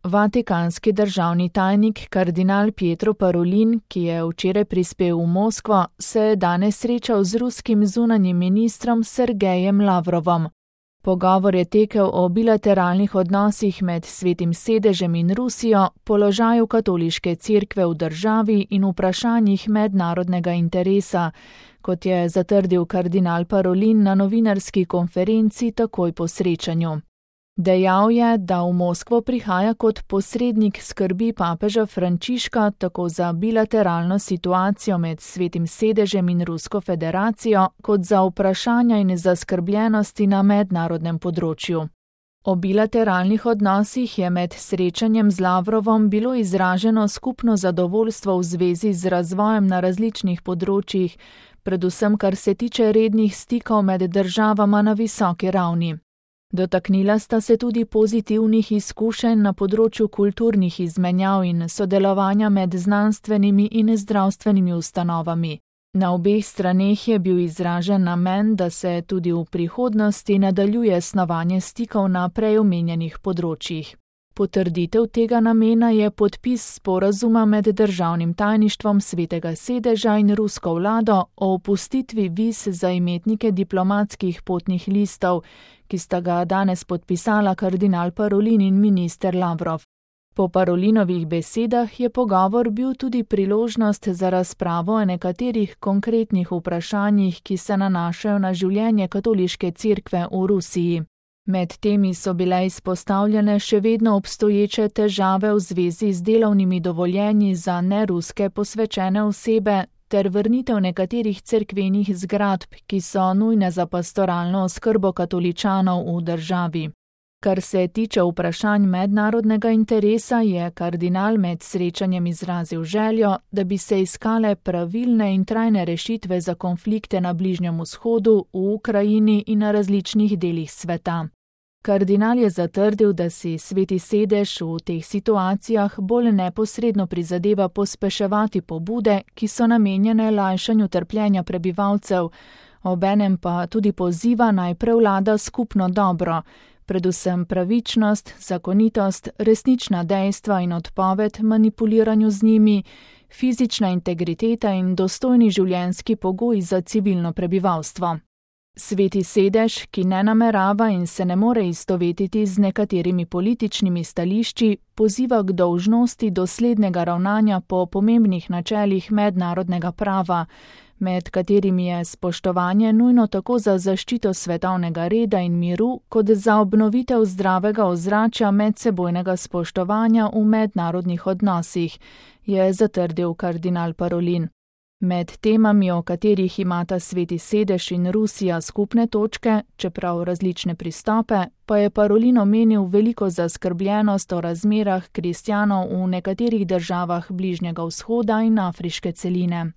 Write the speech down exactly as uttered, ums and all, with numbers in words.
Vatikanski državni tajnik kardinal Pietro Parolin, ki je včeraj prispel v Moskvo, se je danes srečal z ruskim zunanjim ministrom Sergejem Lavrovom. Pogovor je tekel o bilateralnih odnosih med Svetim sedežem in Rusijo, položaju katoliške cerkve v državi in vprašanjih mednarodnega interesa, kot je zatrdil kardinal Parolin na novinarski konferenci takoj po srečanju. Dejal je, da v Moskvo prihaja kot posrednik skrbi papeža Frančiška tako za bilateralno situacijo med Svetim sedežem in Rusko federacijo, kot za vprašanja in zaskrbljenosti na mednarodnem področju. O bilateralnih odnosih je med srečanjem z Lavrovom bilo izraženo skupno zadovoljstvo v zvezi z razvojem na različnih področjih, predvsem kar se tiče rednih stikov med državama na visoki ravni. Dotaknila sta se tudi pozitivnih izkušenj na področju kulturnih izmenjav in sodelovanja med znanstvenimi in zdravstvenimi ustanovami. Na obeh straneh je bil izražen namen, da se tudi v prihodnosti nadaljuje snovanje stikov na prej omenjenih področjih. Potrditev tega namena je podpis sporazuma med državnim tajništvom Svetega sedeža in rusko vlado o opustitvi viz za imetnike diplomatskih potnih listov, ki sta ga danes podpisala kardinal Parolin in minister Lavrov. Po Parolinovih besedah je pogovor bil tudi priložnost za razpravo o nekaterih konkretnih vprašanjih, ki se nanašajo na življenje katoliške cerkve v Rusiji. Med temi so bile izpostavljene še vedno obstoječe težave v zvezi z delovnimi dovoljenji za neruske posvečene osebe ter vrnitev nekaterih cerkvenih zgradb, ki so nujne za pastoralno oskrbo katoličanov v državi. Kar se tiče vprašanj mednarodnega interesa, je kardinal med srečanjem izrazil željo, da bi se iskale pravilne in trajne rešitve za konflikte na Bližnjem vzhodu, v Ukrajini in na različnih delih sveta. Kardinal je zatrdil, da si Sveti sedež v teh situacijah bolj neposredno prizadeva pospeševati pobude, ki so namenjene lajšanju trpljenja prebivalcev, obenem pa tudi poziva naj prevlada skupno dobro, predvsem pravičnost, zakonitost, resnična dejstva in odpoved manipuliranju z njimi, fizična integriteta in dostojni življenjski pogoji za civilno prebivalstvo. Sveti sedež, ki ne namerava in se ne more istovetiti z nekaterimi političnimi stališči, poziva k dolžnosti doslednega ravnanja po pomembnih načelih mednarodnega prava, med katerimi je spoštovanje nujno tako za zaščito svetovnega reda in miru, kot za obnovitev zdravega ozračja medsebojnega spoštovanja v mednarodnih odnosih, je zatrdil kardinal Parolin. Med temami, o katerih imata Sveti sedež in Rusija skupne točke, čeprav različne pristope, pa je Parolin omenil veliko zaskrbljenost o razmerah kristjanov v nekaterih državah Bližnjega vzhoda in afriške celine.